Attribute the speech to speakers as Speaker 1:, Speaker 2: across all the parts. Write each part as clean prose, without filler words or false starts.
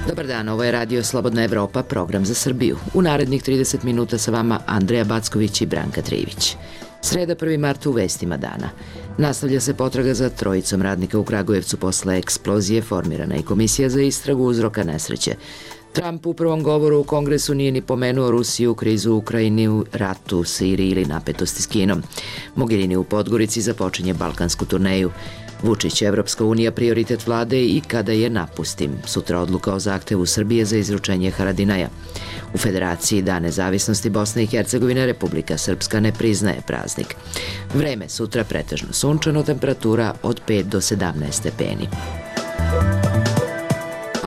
Speaker 1: Dobar dan, ovo je Radio Slobodna Evropa, program za Srbiju. U narednih 30 minuta sa vama Andreja Backović i Branka Trivić. Sreda 1. marta u vestima dana. Nastavlja se potraga za trojicom radnika u Kragujevcu posle eksplozije, formirana i komisija za istragu uzroka nesreće. Trump u prvom govoru u Kongresu nije ni pomenuo Rusiju, krizu u Ukrajini, ratu u Siriji ili napetosti s Kinom. Mogherini u Podgorici započinje balkansku turneju. Vučić, Evropska unija, prioritet vlade i kada je napustim. Sutra odluka o zahtevu Srbije za izručenje Haradinaja. U Federaciji Dan nezavisnosti Bosne i Hercegovine Republika Srpska ne priznaje praznik. Vreme sutra pretežno sunčano, temperatura od 5 do 17 stepeni.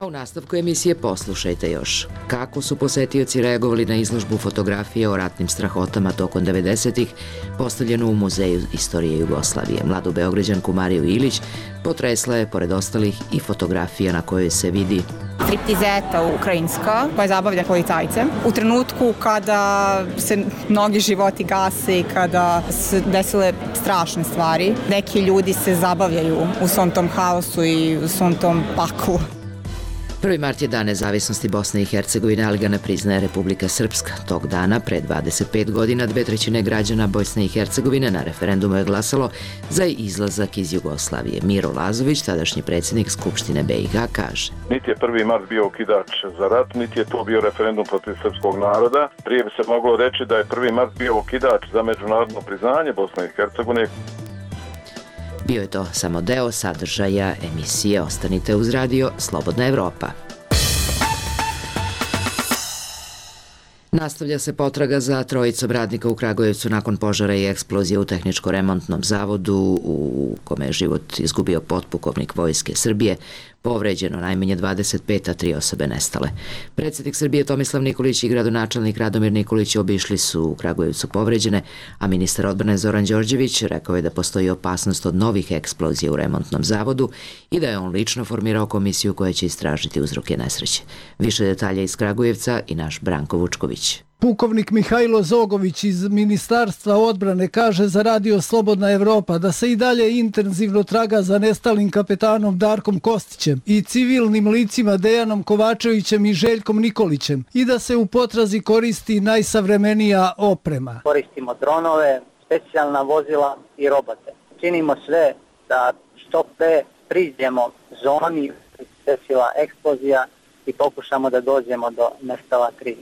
Speaker 1: A u nastavku emisije poslušajte još kako su posetioci reagovali na izložbu fotografije o ratnim strahotama tokom 90-ih postavljenu u Muzeju istorije Jugoslavije. Mladu Beograđanku Mariju Ilić potresla je, pored ostalih, i fotografija na kojoj se vidi
Speaker 2: striptizeta ukrajinska koja zabavlja policajce. U trenutku kada se mnogi životi gase i kada se desile strašne stvari, neki ljudi se zabavljaju u svom tom haosu i u svom tom paklu.
Speaker 1: 1. mart je Dan nezavisnosti Bosne i Hercegovine, ali ga ne priznaje Republika Srpska. Tog dana, pre 25 godina, 2/3 građana Bosne i Hercegovine na referendumu je glasalo za izlazak iz Jugoslavije. Miro Lazović, tadašnji predsjednik Skupštine BiH, kaže:
Speaker 3: Niti je 1. mart bio okidač za rat, niti je to bio referendum protiv srpskog naroda. Prije bi se moglo reći da je 1. mart bio okidač za međunarodno priznanje Bosne i Hercegovine.
Speaker 1: Bio je to samo deo sadržaja emisije. Ostanite uz radio Slobodna Evropa. Nastavlja se potraga za trojicom radnika u Kragujevcu nakon požara i eksplozije u tehničko-remontnom zavodu u kome je život izgubio potpukovnik Vojske Srbije. Povređeno najmanje 25, a 3 osobe nestale. Predsjednik Srbije Tomislav Nikolić i gradonačelnik Radomir Nikolić obišli su u Kragujevcu povređene, a ministar odbrane Zoran Đorđević rekao je da postoji opasnost od novih eksplozija u remontnom zavodu i da je on lično formirao komisiju koja će istražiti uzroke nesreće. Više detalja iz Kragujevca i naš Branko Vučković.
Speaker 4: Pukovnik Mihajlo Zogović iz Ministarstva odbrane kaže za Radio Slobodna Evropa da se i dalje intenzivno traga za nestalim kapetanom Darkom Kostićem i civilnim licima Dejanom Kovačevićem i Željkom Nikolićem i da se u potrazi koristi najsavremenija oprema.
Speaker 5: Koristimo dronove, specijalna vozila i robote. Činimo sve da što pre priđemo zoni desila eksplozija i pokušamo da dođemo do nestala 3.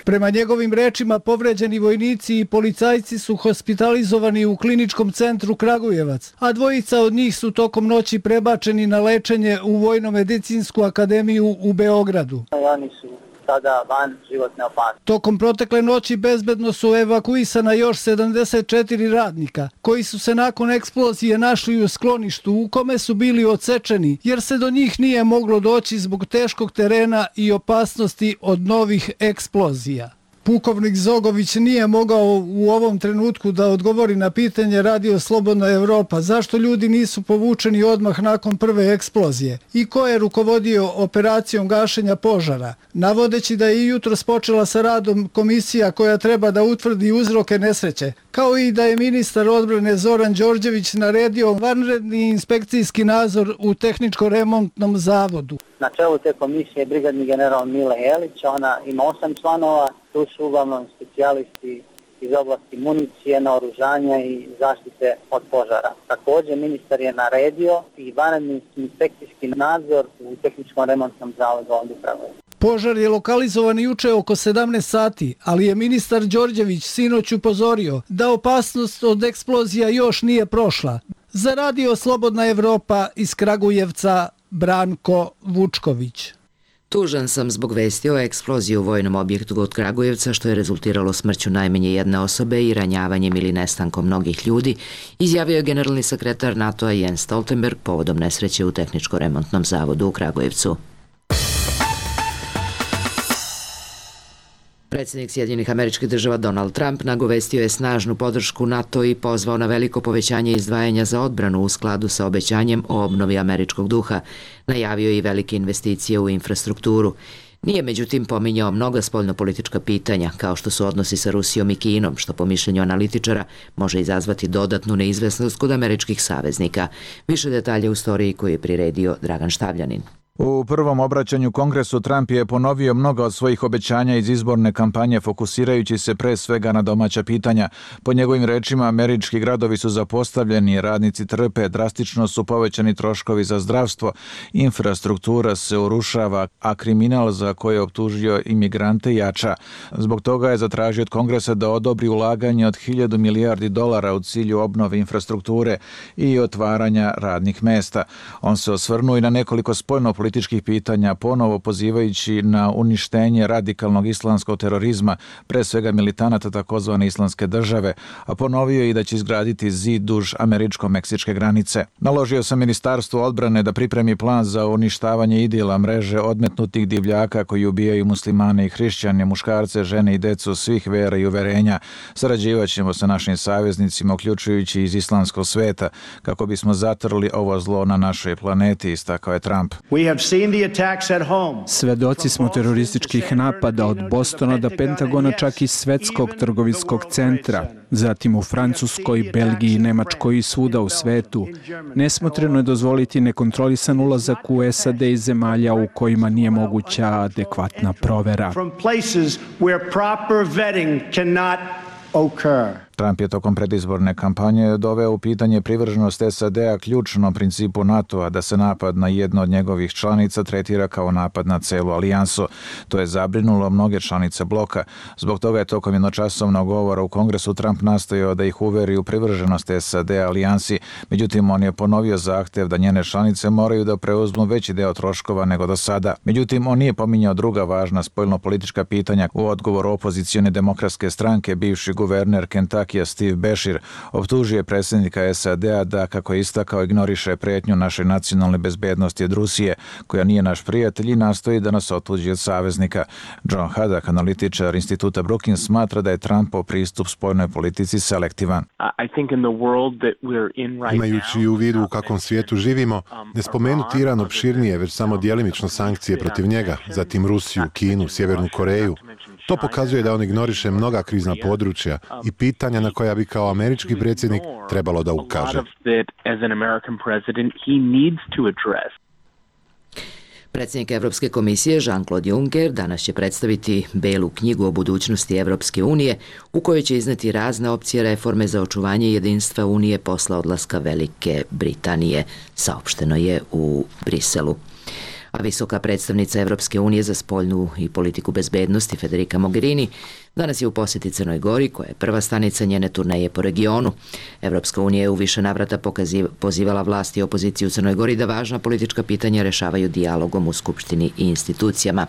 Speaker 4: Prema njegovim rečima, povređeni vojnici i policajci su hospitalizovani u kliničkom centru Kragujevac, a dvojica od njih su tokom noći prebačeni na lečenje u Vojno-medicinsku akademiju u Beogradu.
Speaker 5: Oni su sada van životne opasnosti.
Speaker 4: Tokom protekle noći bezbedno su evakuisana još 74 radnika, koji su se nakon eksplozije našli u skloništu u kome su bili odsečeni, jer se do njih nije moglo doći zbog teškog terena i opasnosti od novih eksplozija. Pukovnik Zogović nije mogao u ovom trenutku da odgovori na pitanje Radio Slobodna Evropa zašto ljudi nisu povučeni odmah nakon prve eksplozije i ko je rukovodio operacijom gašenja požara, navodeći da je jutros počela sa radom komisija koja treba da utvrdi uzroke nesreće, kao i da je ministar odbrane Zoran Đorđević naredio vanredni inspekcijski nadzor u tehničko-remontnom zavodu.
Speaker 5: Na čelu te komisije je brigadni general Mile Jelić, ona ima 8 članova, tu su uglavnom specijalisti iz oblasti municije, naoružanja i zaštite od požara. Također ministar je naredio i vanredni inspekcijski nadzor u tehničkom remontnom zavodu ovdje u Kragujevcu.
Speaker 4: Požar je lokalizovan juče oko 17 sati, ali je ministar Đorđević sinoć upozorio da opasnost od eksplozija još nije prošla. Za Radio Slobodna Evropa iz Kragujevca, Branko Vučković.
Speaker 1: Tužan sam zbog vesti o eksploziji u vojnom objektu kod Kragujevca, što je rezultiralo smrću najmanje jedne osobe i ranjavanjem ili nestankom mnogih ljudi, izjavio je generalni sekretar NATO-a Jens Stoltenberg povodom nesreće u tehničko-remontnom zavodu u Kragujevcu. Predsjednik Sjedinjenih Američkih Država Donald Trump nagovestio je snažnu podršku NATO i pozvao na veliko povećanje izdvajanja za odbranu u skladu sa obećanjem o obnovi američkog duha. Najavio je i velike investicije u infrastrukturu. Nije međutim pominjao mnoga spoljnopolitička pitanja, kao što su odnosi sa Rusijom i Kinom, što po mišljenju analitičara može izazvati dodatnu neizvesnost kod američkih saveznika. Više detalja u storiji koju je priredio Dragan Štavljanin.
Speaker 6: U prvom obraćanju Kongresu Trump je ponovio mnoga od svojih obećanja iz izborne kampanje, fokusirajući se pre svega na domaća pitanja. Po njegovim rečima, američki gradovi su zapostavljeni, radnici trpe, drastično su povećani troškovi za zdravstvo, infrastruktura se urušava, a kriminal za koje je optužio imigrante jača. Zbog toga je zatražio od Kongresa da odobri ulaganje od 1.000 milijardi dolara u cilju obnove infrastrukture i otvaranja radnih mesta. On se osvrnuo i na nekoliko spoljnopolitičkih pitanja, ponovo pozivajući na uništenje radikalnog islamskog terorizma, pre svega militanata takozvane islamske države, a ponovio i da će izgraditi zid duž američko-meksičke granice. Naložio sam Ministarstvu odbrane da pripremi plan za uništavanje idila mreže odmetnutih divljaka koji ubijaju muslimane i hrišćane, muškarce, žene i decu svih vera i uverenja. Sarađivaćemo sa našim saveznicima, uključujući iz islamskog sveta, kako bismo zatrli ovo zlo na našoj planeti, istakao je Trump.
Speaker 7: Svedoci smo terorističkih napada od Bostona do Pentagona, čak i Svetskog trgovinskog centra, zatim u Francuskoj, Belgiji, Nemačkoj i svuda u svetu. Nesmotreno je dozvoliti nekontrolisan ulazak u SAD iz zemalja u kojima nije moguća adekvatna provera.
Speaker 6: Trump je tokom predizborne kampanje doveo u pitanje privrženost SAD-a ključnom principu NATO-a da se napad na jedno od njegovih članica tretira kao napad na celu alijansu. To je zabrinulo mnoge članice bloka. Zbog toga je tokom jednočasovnog govora u Kongresu Trump nastojao da ih uveri u privrženost SAD-a alijansi. Međutim, on je ponovio zahtev da njene članice moraju da preuzmu veći deo troškova nego do sada. Međutim, on nije pominjao druga važna spoljnopolitička pitanja. U odgovoru opozicione demokratske stranke, bivši guverner Kentucky Steve Beshear optužio je predsjednika SAD-a da, kako je istakao, ignoriše pretnju našoj nacionalne bezbednosti od Rusije, koja nije naš prijatelj i nastoji da nas otuđi od saveznika. John Haddock, analitičar instituta Brookings, smatra da je Trumpov pristup spoljnoj politici selektivan.
Speaker 8: Imajući u vidu u kakvom svijetu živimo, ne spomenuti Iran opširnije, već samo djelimično sankcije protiv njega, zatim Rusiju, Kinu, Sjevernu Koreju. To pokazuje da on ignoriše mnoga krizna područja i pitanja na koja bi kao američki predsjednik trebalo da ukaže.
Speaker 1: Predsjednik Evropske komisije Jean-Claude Juncker danas će predstaviti Belu knjigu o budućnosti Evropske unije, u kojoj će izneti razne opcije reforme za očuvanje jedinstva Unije posle odlaska Velike Britanije, saopšteno je u Briselu. A visoka predstavnica Evropske unije za spoljnu i politiku bezbednosti Federica Mogherini danas je u posjeti Crnoj Gori, koja je prva stanica njene turneje po regionu. Evropska unija je u više navrata pozivala vlasti i opoziciju u Crnoj Gori da važna politička pitanja rešavaju dijalogom u Skupštini i institucijama.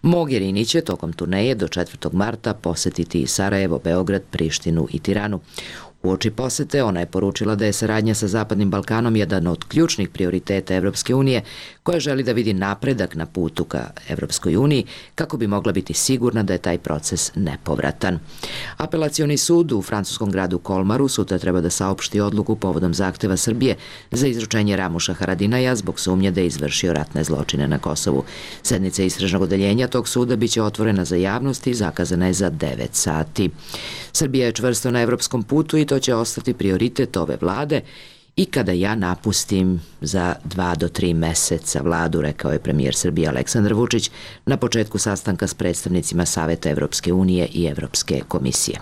Speaker 1: Mogherini će tokom turneje do 4. marta posjetiti Sarajevo, Beograd, Prištinu i Tiranu. Uoči posete ona je poručila da je saradnja sa Zapadnim Balkanom jedan od ključnih prioriteta Evropske unije, koja želi da vidi napredak na putu ka Evropskoj uniji kako bi mogla biti sigurna da je taj proces nepovratan. Apelacioni sud u francuskom gradu Kolmaru sutra treba da saopšti odluku povodom zahteva Srbije za izručenje Ramuša Haradinaja zbog sumnje da je izvršio ratne zločine na Kosovu. Sednica istražnog odeljenja tog suda biće otvorena za javnost i zakazana je za 9 sati. Srbija je čvrsto na evropskom putu i to će ostati prioritet ove vlade i kada ja napustim za 2 do 3 meseca vladu, rekao je premijer Srbije Aleksandar Vučić na početku sastanka s predstavnicima Saveta Evropske unije i Evropske komisije.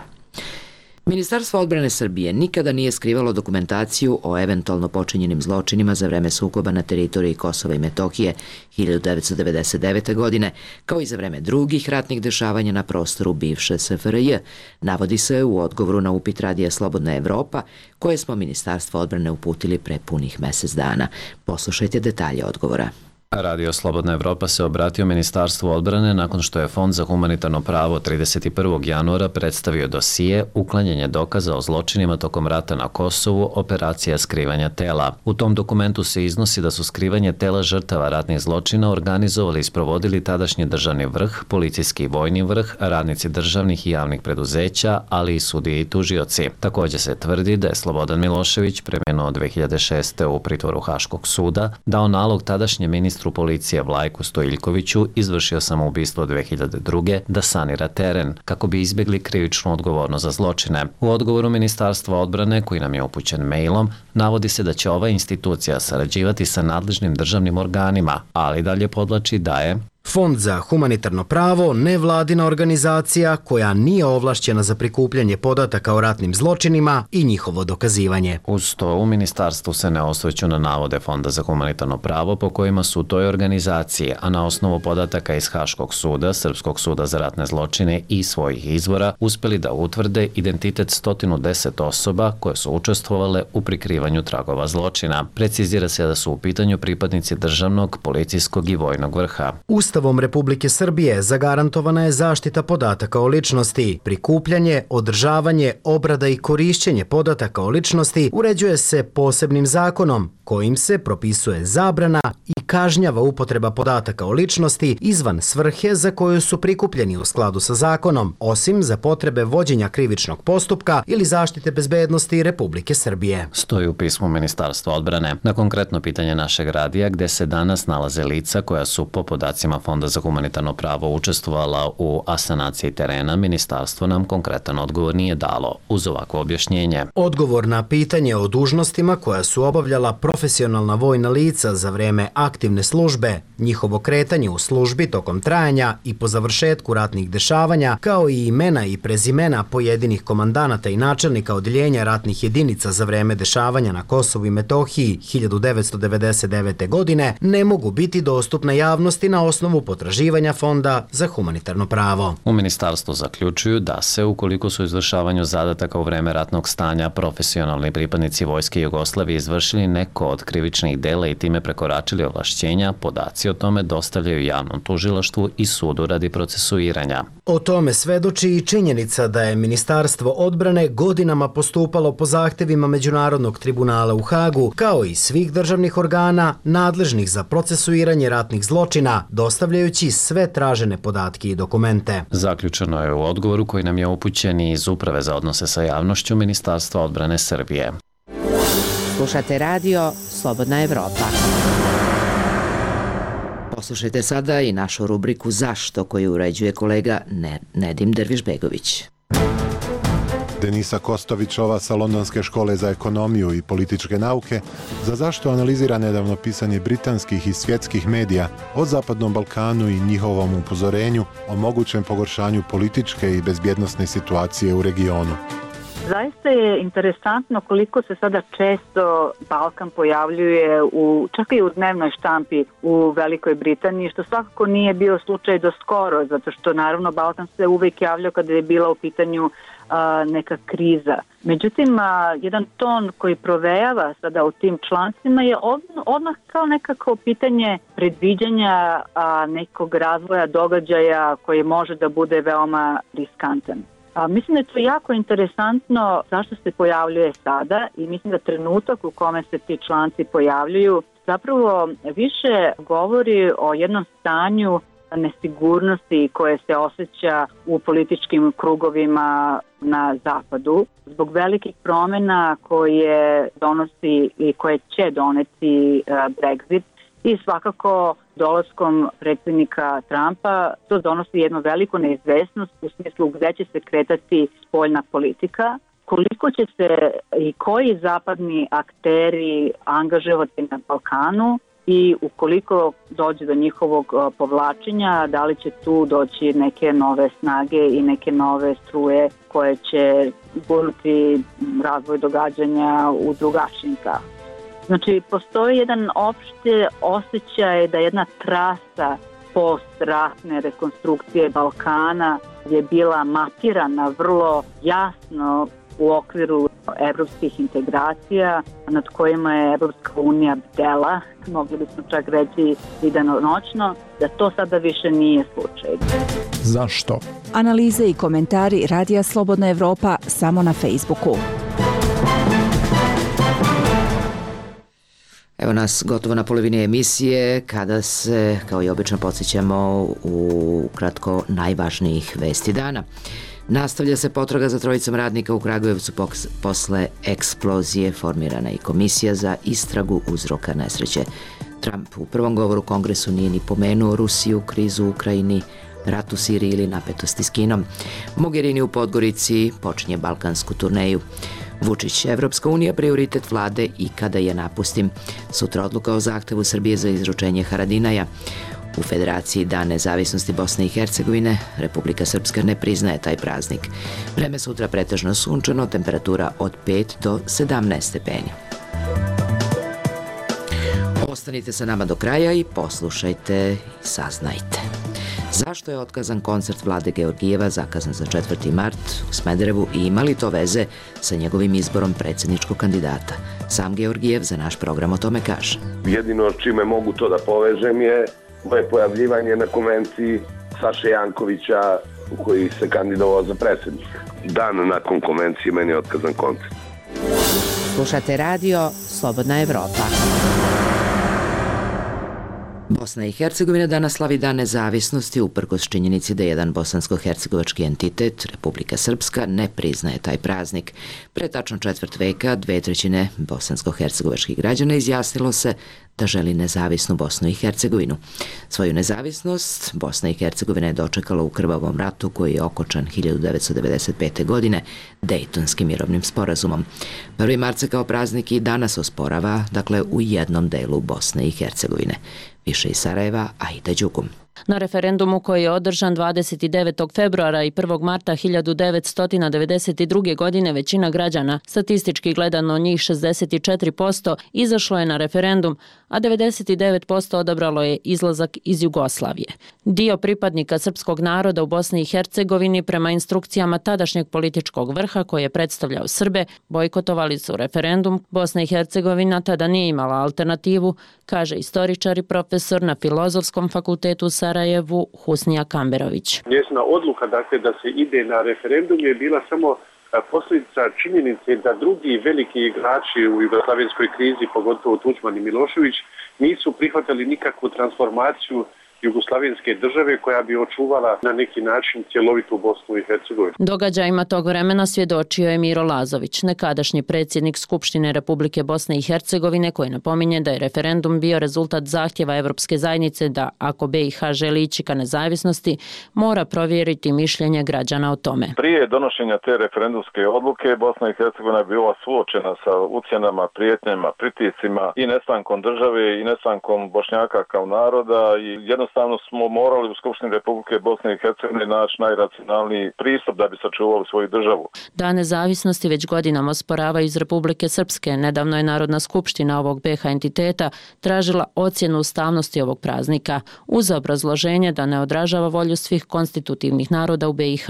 Speaker 1: Ministarstvo odbrane Srbije nikada nije skrivalo dokumentaciju o eventualno počinjenim zločinima za vreme sukoba na teritoriji Kosova i Metohije 1999. godine, kao i za vreme drugih ratnih dešavanja na prostoru bivše SFRJ, navodi se u odgovoru na upit Radija Slobodna Evropa, koje smo Ministarstvo odbrane uputili pre punih mesec dana. Poslušajte detalje odgovora.
Speaker 9: Radio Slobodna Evropa se obratio Ministarstvu odbrane nakon što je Fond za humanitarno pravo 31. januara predstavio dosije uklanjanje dokaza o zločinima tokom rata na Kosovu, operacija skrivanja tela. U tom dokumentu se iznosi da su skrivanje tela žrtava ratnih zločina organizovali i sprovodili tadašnji državni vrh, policijski i vojni vrh, radnici državnih i javnih preduzeća, ali i sudije i tužioci. Također se tvrdi da je Slobodan Milošević, preminuo 2006. u pritvoru Haškog suda, dao nalog tadašnjem ministru ministru policije Vlajku Stojiljkoviću izvršio samoubistvo 2002. da sanira teren, kako bi izbjegli krivičnu odgovornost za zločine. U odgovoru Ministarstva odbrane, koji nam je upućen mailom, navodi se da će ova institucija sarađivati sa nadležnim državnim organima, ali dalje podlači da je
Speaker 10: Fond za humanitarno pravo nevladina organizacija koja nije ovlašćena za prikupljanje podataka o ratnim zločinima i njihovo dokazivanje.
Speaker 9: Uz to u ministarstvu se ne osvrću na navode Fonda za humanitarno pravo po kojima su toj organizaciji, a na osnovu podataka iz Haškog suda, Srpskog suda za ratne zločine i svojih izvora, uspeli da utvrde identitet 110 osoba koje su učestvovale u prikrivanju tragova zločina. Precizira se da su u pitanju pripadnici državnog, policijskog i vojnog vrha.
Speaker 10: Ustavom Republike Srbije zagarantovana je zaštita podataka o ličnosti. Prikupljanje, održavanje, obrada i korišćenje podataka o ličnosti uređuje se posebnim zakonom, kojim se propisuje zabrana i kažnjava upotreba podataka o ličnosti izvan svrhe za koju su prikupljeni u skladu sa zakonom, osim za potrebe vođenja krivičnog postupka ili zaštite bezbednosti Republike Srbije.
Speaker 9: Stoji u pismu Ministarstva odbrane. Na konkretno pitanje našeg radija, gde se danas nalaze lica koja su po podacima Fonda za humanitarno pravo učestvovala u asanaciji terena, ministarstvo nam konkretan odgovor nije dalo, uz ovakvo objašnjenje.
Speaker 10: Odgovor na pitanje o dužnostima koja su obavljala profesionalna vojna lica za vreme aktivne službe, njihovo kretanje u službi tokom trajanja i po završetku ratnih dešavanja, kao i imena i prezimena pojedinih komandanata i načelnika odjeljenja ratnih jedinica za vreme dešavanja na Kosovu i Metohiji 1999. godine, ne mogu biti dostupne javnosti na osnovu potraživanja Fonda za humanitarno pravo.
Speaker 9: U ministarstvu zaključuju da se, ukoliko su izvršavanju zadataka u vreme ratnog stanja profesionalni pripadnici Vojske Jugoslavije izvršili neko od krivičnih dela i time prekoračili ovlašćenja, podaci o tome dostavljaju javnom tužilaštvu i sudu radi procesuiranja.
Speaker 10: O tome svedoči i činjenica da je Ministarstvo odbrane godinama postupalo po zahtevima Međunarodnog tribunala u Hagu, kao i svih državnih organa nadležnih za procesuiranje ratnih zločina, dostavljajući sve tražene podatke i dokumente.
Speaker 9: Zaključeno je u odgovoru koji nam je upućen iz Uprave za odnose sa javnošću Ministarstva odbrane Srbije.
Speaker 1: Slušate radio Slobodna Evropa. Poslušajte sada i našu rubriku Zašto, koju uređuje kolega Nedim Dervišbegović.
Speaker 8: Denisa Kostovićova sa Londonske škole za ekonomiju i političke nauke za zašto analizira nedavno pisanje britanskih i svjetskih medija o Zapadnom Balkanu i njihovom upozorenju o mogućem pogoršanju političke i bezbjednosne situacije u regionu.
Speaker 11: Zaista je interesantno koliko se sada često Balkan pojavljuje čak i u dnevnoj štampi u Velikoj Britaniji, što svakako nije bio slučaj do skoro, zato što naravno Balkan se uvijek javljao kada je bila u pitanju neka kriza. Međutim, jedan ton koji provejava sada u tim člancima je odmah kao nekako pitanje predviđanja nekog razvoja događaja koji može da bude veoma riskantan. Mislim da je to jako interesantno zašto se pojavljuje sada i mislim da trenutak u kome se ti članci pojavljuju zapravo više govori o jednom stanju nesigurnosti koje se osjeća u političkim krugovima na zapadu zbog velikih promjena koje donosi i koje će doneti Brexit i svakako dolaskom predsjednika Trumpa to donosi jednu veliku neizvesnost u smislu gdje će se kretati spoljna politika, koliko će se i koji zapadni akteri angažovati na Balkanu i ukoliko dođe do njihovog povlačenja, da li će tu doći neke nove snage i neke nove struje koje će gurnuti razvoj događanja u drugačijim pravcima. Znači, postoji jedan opšte osjećaj da jedna trasa post-ratne rekonstrukcije Balkana je bila mapirana vrlo jasno u okviru evropskih integracija nad kojima je Evropska unija bdela, mogli bismo čak reći i danonoćno, da to sada više nije slučaj.
Speaker 12: Zašto?
Speaker 13: Analize i komentari Radija Slobodna Evropa samo na Facebooku.
Speaker 1: Evo nas gotovo na polovini emisije, kada se, kao i obično, podsjećamo u kratko najvažnijih vesti dana. Nastavlja se potraga za trojicom radnika u Kragujevcu posle eksplozije. Formirana i komisija za istragu uzroka nesreće. Trump u prvom govoru Kongresu nije ni pomenuo Rusiju, krizu u Ukrajini, rat u Siriji ili napetosti s Kinom. Mogherini u Podgorici počinje balkansku turneju. Vučić, Evropska unija prioritet vlade i kada je napustim. Sutra odluka o zahtevu Srbije za izručenje Haradinaja. U Federaciji Dan nezavisnosti Bosne i Hercegovine Republika Srpska ne priznaje taj praznik. Vreme sutra pretežno sunčano, temperatura od 5 do 17 stepeni. Ostanite sa nama do kraja i poslušajte i saznajte. Zašto je otkazan koncert Vlade Georgijeva zakazan za 4. mart u Smederevu i ima li to veze sa njegovim izborom predsjedničkog kandidata? Sam Georgijev za naš program o tome kaže.
Speaker 12: Jedino čime mogu to da povežem je moje pojavljivanje na konvenciji Saše Jankovića koji se kandidovao za predsjednika. Dan nakon konvencije meni je otkazan koncert.
Speaker 14: Slušate radio Slobodna Evropa.
Speaker 1: Bosna i Hercegovina danas slavi Dan nezavisnosti uprkos činjenici da jedan bosansko-hercegovački entitet, Republika Srpska, ne priznaje taj praznik. Pre tačno četvrt veka 2/3 bosansko-hercegovačkih građana izjasnilo se da želi nezavisnu Bosnu i Hercegovinu. Svoju nezavisnost Bosna i Hercegovina je dočekala u krvavom ratu koji je okončan 1995. godine Dejtonskim mirovnim sporazumom. 1. mart se kao praznik i danas osporava, dakle u jednom delu Bosne i Hercegovine. Više iz Sarajeva, Aida Đugum.
Speaker 15: Na referendumu koji je održan 29. februara i 1. marta 1992. godine većina građana, statistički gledano njih 64%, izašlo je na referendum, a 99% odabralo je izlazak iz Jugoslavije. Dio pripadnika srpskog naroda u Bosni i Hercegovini prema instrukcijama tadašnjeg političkog vrha koji je predstavljao Srbe, bojkotovali su referendum. Bosna i Hercegovina tada nije imala alternativu, kaže istoričar i profesor na Filozofskom fakultetu u Sarajevu Husnija Kamberović.
Speaker 16: Njezina odluka dakle, da se ide na referendum je bila samo posljedica činjenice da drugi veliki igrači u jugoslavenskoj krizi, pogotovo Tuđman i Milošević, nisu prihvatili nikakvu transformaciju jugoslavenske države koja bi očuvala na neki način cjelovitu Bosnu i Hercegovinu.
Speaker 15: Događajima tog vremena svjedočio je Miro Lazović, nekadašnji predsjednik Skupštine Republike Bosne i Hercegovine, koji napominje da je referendum bio rezultat zahtjeva Evropske zajednice da ako BiH želi ići ka nezavisnosti, mora provjeriti mišljenje građana o tome.
Speaker 3: Prije donošenja te referendumske odluke Bosna i Hercegovina je bila suočena sa ucjenama, prijetnjama, pritiscima i nestankom države i nestankom Bošnjaka kao naroda i jednostavno smo morali u Skupštini Republike Bosne i Hercegovine naći najracionalniji pristup da bi sačuvali svoju državu.
Speaker 15: Dan nezavisnosti već godinama osporavaju iz Republike Srpske. Nedavno je Narodna skupština ovog BiH entiteta tražila ocjenu ustavnosti ovog praznika uz obrazloženje da ne odražava volju svih konstitutivnih naroda u BiH.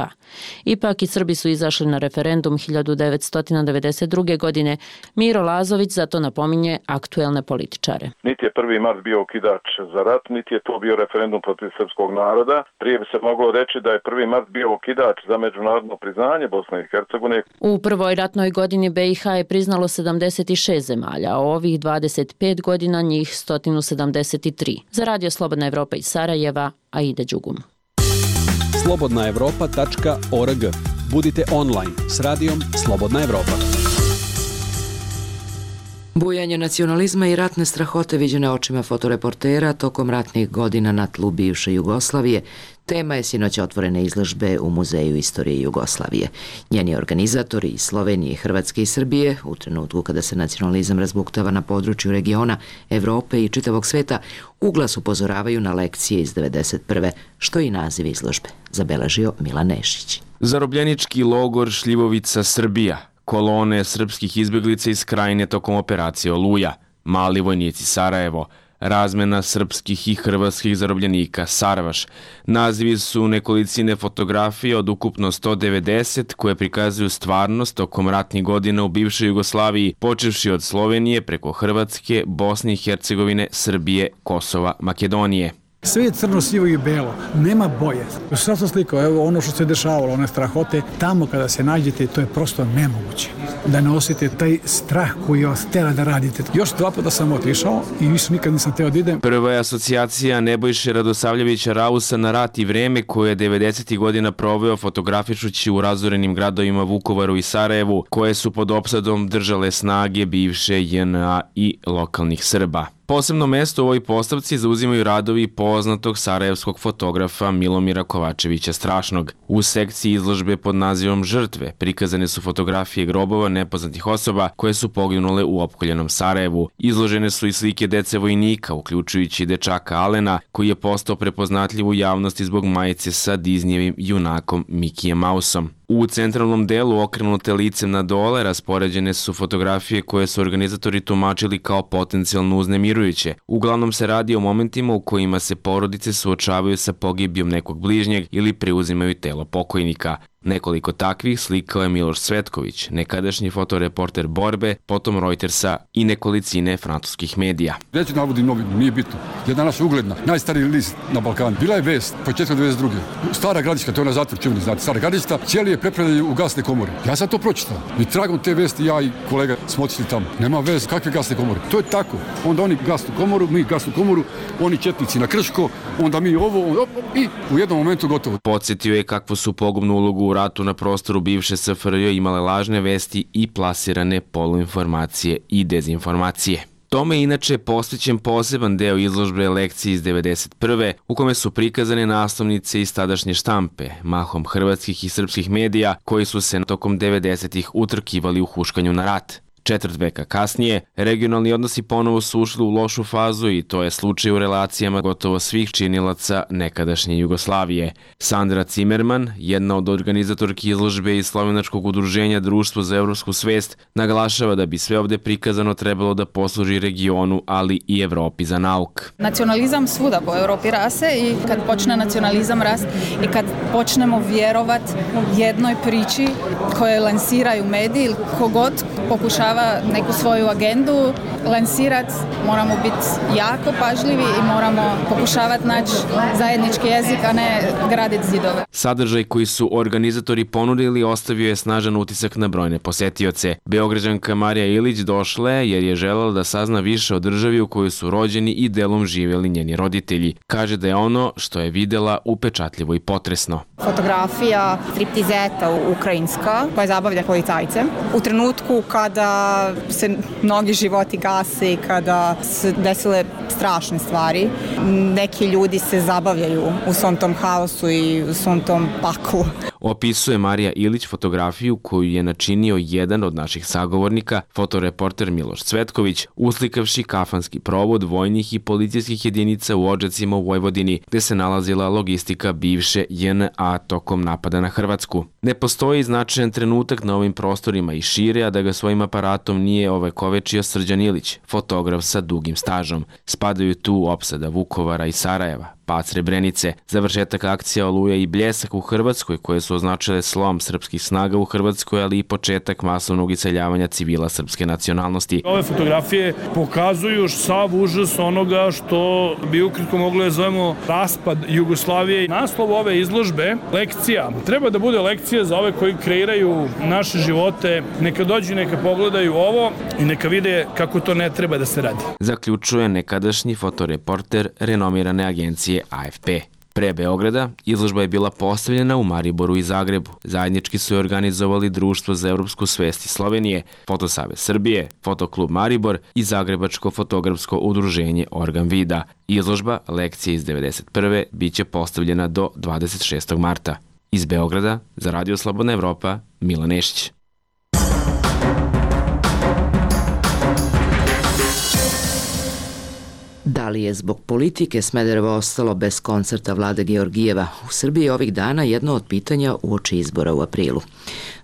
Speaker 15: Ipak i Srbi su izašli na referendum 1992. godine. Miro Lazović zato napominje aktuelne političare.
Speaker 3: Niti je 1. mart bio okidač za rat, niti je to bio referendum protiv srpskog naroda. Prije bi se moglo reći da je 1. mart bio okidač za međunarodno priznanje Bosne i Hercegovine.
Speaker 15: U prvoj ratnoj godini BiH je priznalo 76 zemalja, a ovih 25 godina njih 173. Za Radio Slobodna Evropa iz Sarajeva, Aida Đugum.
Speaker 17: slobodnaevropa.org. Budite online s radijom Slobodna Evropa.
Speaker 1: Bujanje nacionalizma i ratne strahote viđene očima fotoreportera tokom ratnih godina na tlu bivše Jugoslavije tema je sinoć otvorene izložbe u Muzeju istorije Jugoslavije. Njeni organizatori iz Slovenije, Hrvatske i Srbije, u trenutku kada se nacionalizam razbuktava na području regiona, Evrope i čitavog sveta, uglas upozoravaju na lekcije iz 1991. što je i naziv izložbe, zabeležio Milan Nešić.
Speaker 18: Zarobljenički logor Šljivovica, Srbija. Kolone srpskih izbjeglica iz Krajine tokom operacije Oluja, Mali vojnici Sarajevo, razmena srpskih i hrvatskih zarobljenika Sarvaš. Nazivi su nekolicine fotografije od ukupno 190 koje prikazuju stvarnost tokom ratnih godina u bivšoj Jugoslaviji, počevši od Slovenije preko Hrvatske, Bosne i Hercegovine, Srbije, Kosova, Makedonije.
Speaker 19: Sve je crno, sivo i belo, nema boje. Sve sam slikao, evo ono što se dešavalo, one strahote, tamo kada se nađete, to je prosto nemoguće. Da ne osjetite taj strah koji vas tera da radite. Još 2 puta sam otišao i više nikad nisam teo da idem.
Speaker 18: Prva je asocijacija Nebojše Radosavljevića Rausa na rat i vreme koje je 90. godina proveo fotografišući u razorenim gradovima Vukovaru i Sarajevu, koje su pod opsadom držale snage bivše JNA i lokalnih Srba. Posebno mesto u ovoj postavci zauzimaju radovi poznatog sarajevskog fotografa Milomira Kovačevića Strašnog. U sekciji izložbe pod nazivom Žrtve prikazane su fotografije grobova nepoznatih osoba koje su poginule u opkoljenom Sarajevu. Izložene su i slike dece vojnika, uključujući dečaka Alena, koji je postao prepoznatljiv u javnosti zbog majice sa Disneyevim junakom Mikijem Mausom. U centralnom delu, okrenute licem na dole, raspoređene su fotografije koje su organizatori tumačili kao potencijalno uznemirujuće. Uglavnom se radi o momentima u kojima se porodice suočavaju sa pogibijom nekog bližnjeg ili preuzimaju telo pokojnika. Nekoliko takvih slikao je Miloš Cvetković, nekadašnji fotoreporter Borbe, potom Reutersa i nekolicine francuskih medija.
Speaker 20: Neću navodim novinu, nije bitno. Jedna naša ugledna, najstariji list na Balkanu. Bila je vest, početka 92. Stara Gradiška, to je na zatvor čuveni, znate, Stara Gradiška, ćelije prepredaju u gasne komore. Ja sam to pročitao. I tragom te vesti ja i kolega smo otišli tamo. Nema vez, kakve gasne komore? To je tako. Onda oni gasnu komoru, mi gasnu komoru, oni četnici na Krško, onda mi ovo i u jednom momentu gotovo.
Speaker 18: Podsjetio je kakvu su pogubnu ulogu u ratu na prostoru bivše SFRJ imale lažne vesti i plasirane poluinformacije i dezinformacije. Tome je inače posvećen poseban deo izložbe lekcije iz 1991. u kome su prikazane naslovnice iz tadašnje štampe, mahom hrvatskih i srpskih medija koji su se tokom 90-ih utrkivali u huškanju na rat. Četvrt veka kasnije, regionalni odnosi ponovo su ušli u lošu fazu i to je slučaj u relacijama gotovo svih činilaca nekadašnje Jugoslavije. Sandra Cimerman, jedna od organizatorki izložbe iz slovenačkog udruženja Društvo za evropsku svest, naglašava da bi sve ovde prikazano trebalo da posluži regionu, ali i Evropi za nauk.
Speaker 2: Nacionalizam svuda po Evropi rase i kad počne nacionalizam rast i kad počnemo vjerovat jednoj priči koje lansiraju mediji ili kogod pokušava neku svoju agendu lansirati, moramo biti jako pažljivi i moramo pokušavati naći zajednički jezik, a ne graditi zidove.
Speaker 18: Sadržaj koji su organizatori ponudili ostavio je snažan utisak na brojne posetioce. Beograđanka Marija Ilić došla je jer je želela da sazna više o državi u kojoj su rođeni i delom živjeli njeni roditelji. Kaže da je ono što je videla upečatljivo i potresno.
Speaker 2: Fotografija striptizeta ukrajinska koja zabavlja policajce. U trenutku kada se mnogi životi gase i kada se desile strašne stvari, neki ljudi se zabavljaju u svom tom haosu i u svom tom paklu.
Speaker 18: Opisuje Marija Ilić fotografiju koju je načinio jedan od naših sagovornika, fotoreporter Miloš Cvetković, uslikavši kafanski provod vojnih i policijskih jedinica u Odžacima u Vojvodini, gde se nalazila logistika bivše JNA tokom napada na Hrvatsku. Ne postoji značajan trenutak na ovim prostorima i šire, a da ga svojim aparatom nije ovekovečio Srđan Ilić, fotograf sa dugim stažom. Spadaju tu opsada Vukovara i Sarajeva, pad Srebrenice, završetak akcija Oluja i Bljesak u Hrvatskoj koje su označile slom srpskih snaga u Hrvatskoj, ali i početak masovnog iseljavanja civila srpske nacionalnosti.
Speaker 21: Ove fotografije pokazuju sav užas onoga što bi ukratko moglo da zovemo raspad Jugoslavije. Naslov ove izložbe, lekcija, treba da bude lekcija za ove koji kreiraju naše živote. Neka dođu, neka pogledaju ovo i neka vide kako to ne treba da se radi.
Speaker 18: Zaključuje nekadašnji fotoreporter renomirane agencije AFP. Pre Beograda, izložba je bila postavljena u Mariboru i Zagrebu. Zajednički su je organizovali Društvo za evropsku svest iz Slovenije, Fotosavez Srbije, Fotoklub Maribor i Zagrebačko fotografsko udruženje Organ Vida. Izložba lekcije iz 1991. biće postavljena do 26. marta. Iz Beograda, za Radio Slobodna Evropa, Milan Nešić.
Speaker 1: Da li je zbog politike Smederevo ostalo bez koncerta Vlade Georgijeva? U Srbiji je ovih dana jedno od pitanja uoči izbora u aprilu.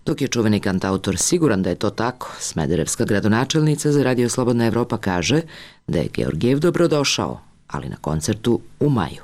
Speaker 1: Dok je čuveni kantautor siguran da je to tako, smederevska gradonačelnica za Radio Slobodna Evropa kaže da je Georgijev dobrodošao, ali na koncertu u maju.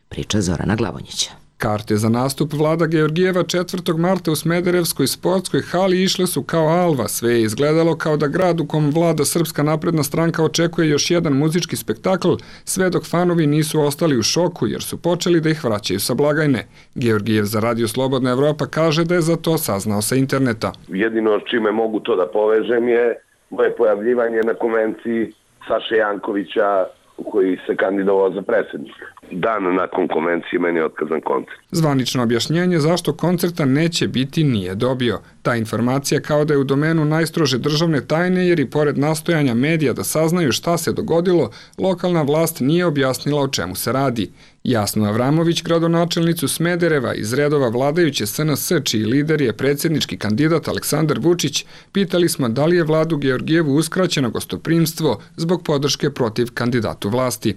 Speaker 1: Priča Zorana Glavonjića.
Speaker 22: Karte za nastup Vlada Georgijeva 4. marta u Smederevskoj sportskoj hali išle su kao alva. Sve je izgledalo kao da grad u kom vlada Srpska napredna stranka očekuje još jedan muzički spektakl, sve dok fanovi nisu ostali u šoku jer su počeli da ih vraćaju sa blagajne. Georgijev za Radio Slobodna Evropa kaže da je za to saznao sa interneta.
Speaker 12: Jedino čime mogu to da povežem je moje pojavljivanje na konvenciji Saše Jankovića koji se kandidovao za predsjednika. Dan nakon konvencije meni je otkazan koncert.
Speaker 22: Zvanično objašnjenje zašto koncerta neće biti nije dobio. Ta informacija kao da je u domenu najstrože državne tajne jer i pored nastojanja medija da saznaju šta se dogodilo, lokalna vlast nije objasnila o čemu se radi. Jasnu Avramović, gradonačelnicu Smedereva iz redova vladajuće SNS, čiji lider je predsjednički kandidat Aleksandar Vučić, pitali smo da li je vladu Georgijevu uskraćeno gostoprimstvo zbog podrške protiv kandidatu vlasti.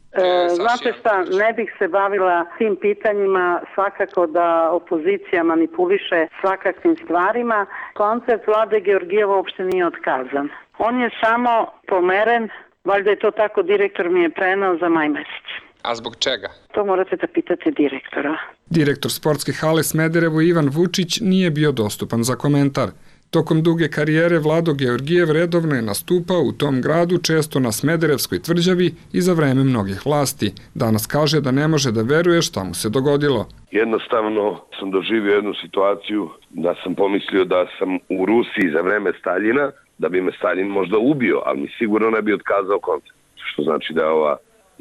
Speaker 4: Znate šta, ne bih se bavila tim pitanjima, svakako da opozicija manipuliše svakakvim stvarima. Koncert vlade Georgijeva uopšte nije otkazan. On je samo pomeren, valjda je to tako direktor mi je prenao za maj mesec.
Speaker 22: A zbog čega?
Speaker 4: To morate da pitate direktora.
Speaker 22: Direktor sportske hale Smederevo Ivan Vučić nije bio dostupan za komentar. Tokom duge karijere Vlado Georgijev redovno je nastupao u tom gradu, često na Smederevskoj tvrđavi i za vreme mnogih vlasti. Danas kaže da ne može da veruje šta mu se dogodilo.
Speaker 12: Jednostavno sam doživio jednu situaciju da sam pomislio da sam u Rusiji za vreme Staljina, da bi me Staljin možda ubio, ali mi sigurno ne bi otkazao koncert. Što znači da je ova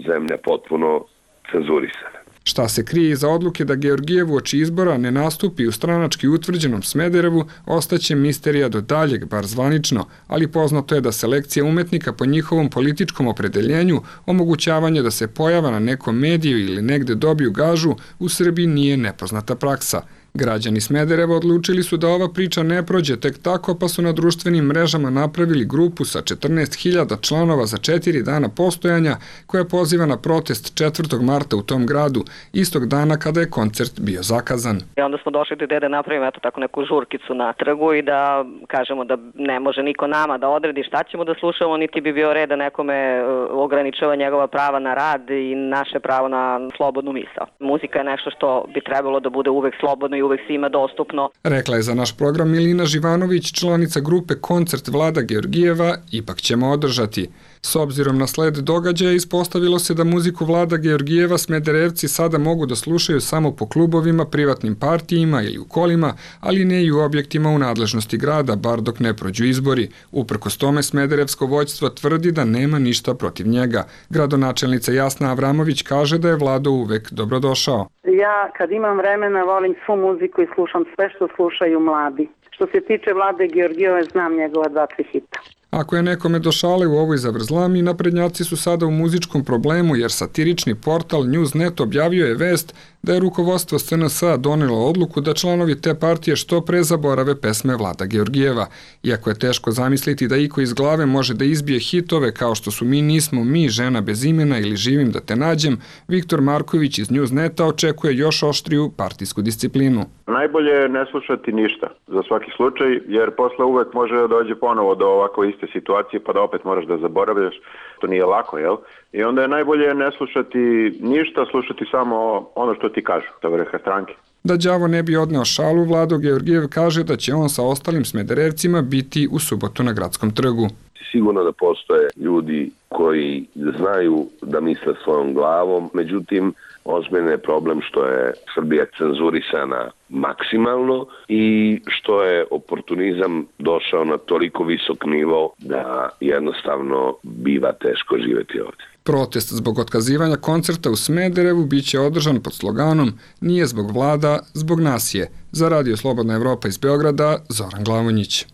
Speaker 12: zemlja potpuno cenzurisana.
Speaker 22: Šta se krije iza odluke da Georgijev uoči izbora ne nastupi u stranački utvrđenom Smederevu, ostaće misterija do daljeg, bar zvanično, ali poznato je da selekcija umetnika po njihovom političkom opredeljenju, omogućavanje da se pojava na nekom mediju ili negde dobiju gažu, u Srbiji nije nepoznata praksa. Građani Smedereva odlučili su da ova priča ne prođe tek tako, pa su na društvenim mrežama napravili grupu sa 14.000 članova za 4 dana postojanja koja poziva na protest 4. marta u tom gradu, istog dana kada je koncert bio zakazan.
Speaker 5: I onda smo došli do ideje da napravimo tako neku žurkicu na trgu i da kažemo da ne može niko nama da odredi šta ćemo da slušamo, niti bi bio red da nekome ograničava njegova prava na rad i naše pravo na slobodnu misao. Muzika je nešto što bi trebalo da bude uvek slobodno i uvek svima dostupno.
Speaker 22: Rekla je za naš program Milina Živanović, članica grupe Koncert Vlada Georgijeva, ipak ćemo održati. S obzirom na sled događaja ispostavilo se da muziku Vlada Georgijeva Smederevci sada mogu da slušaju samo po klubovima, privatnim partijima ili u kolima, ali ne i u objektima u nadležnosti grada, bar dok ne prođu izbori. Uprkos tome Smederevsko vođstvo tvrdi da nema ništa protiv njega. Gradonačelnica Jasna Avramović kaže da je Vlado uvek dobrodošao.
Speaker 4: Ja kad imam vremena volim svu muziku i slušam sve što slušaju mladi. Što se tiče Vlade Georgijeva, znam njegova 2-3 hita.
Speaker 22: Ako je nekome do šale u ovoj zavrzlami, naprednjaci su sada u muzičkom problemu jer satirični portal Newsnet objavio je vest da je rukovodstvo SNS-a donelo odluku da članovi te partije što pre zaborave pesme Vlada Georgijeva. Iako je teško zamisliti da iko iz glave može da izbije hitove kao što su Mi nismo mi, Žena bez imena ili Živim da te nađem, Viktor Marković iz Newsneta očekuje još oštriju partijsku disciplinu.
Speaker 3: Najbolje je ne slušati ništa za svaki slučaj, jer posle uvek može da dođe ponovo do ovako iste situacije pa da opet moraš da zaboravljaš. To nije lako, jel? I onda je najbolje ne slušati ništa, slušati samo ono što ti kažu, sa vrha stranke.
Speaker 22: Da đavo ne bi odneo šalu, Vlado Georgijev kaže da će on sa ostalim Smederevcima biti u subotu na Gradskom trgu.
Speaker 12: Sigurno da postoje ljudi koji znaju da misle svojom glavom, međutim, ozbiljno je problem što je Srbija cenzurisana maksimalno i što je oportunizam došao na toliko visok nivo da jednostavno biva teško živjeti ovdje.
Speaker 22: Protest zbog otkazivanja koncerta u Smederevu biće održan pod sloganom Nije zbog vlada, zbog nas je. Za Radio Slobodna Evropa iz Beograda, Zoran Glavonjić.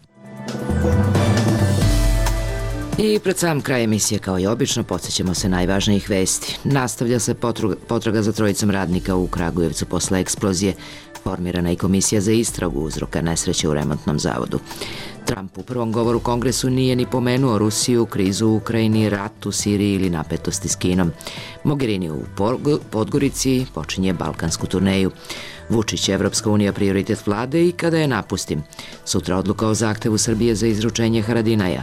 Speaker 1: I pred sam kraj emisije, kao i obično, podsjećamo se najvažnijih vesti. Nastavlja se potraga za trojicom radnika u Kragujevcu posle eksplozije. Formirana je komisija za istragu uzroka nesreće u remontnom zavodu. Trump u prvom govoru Kongresu nije ni pomenuo Rusiju, krizu u Ukrajini, rat u Siriji ili napetosti s Kinom. Mogherini u Podgorici počinje balkansku turneju. Vučić, Evropska unija prioritet vlade i kada je napustim. Sutra odluka o zahtevu Srbije za izručenje Haradinaja.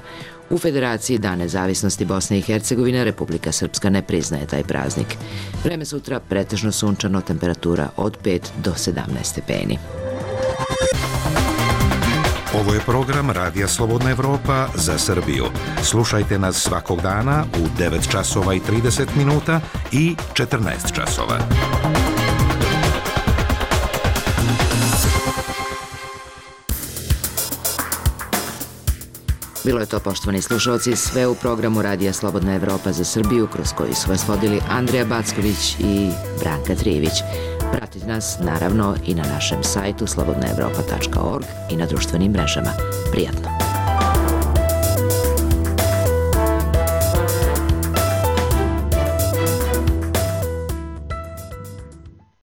Speaker 1: U Federaciji Dan nezavisnosti Bosne i Hercegovine Republika Srpska ne priznaje taj praznik. Vreme sutra pretežno sunčano, temperatura od 5 do 17 stepeni.
Speaker 23: Ovo je program Radija Slobodna Evropa za Srbiju. Slušajte nas svakog dana u 9 časova i 30 minuta i 14 časova.
Speaker 1: Bilo je to, poštovani slušalci, sve u programu Radija Slobodna Evropa za Srbiju, kroz koji su vas vodili Andreja Backović i Branka Trijević. Pratite nas naravno i na našem sajtu slobodnaevropa.org i na društvenim mrežama. Prijatno!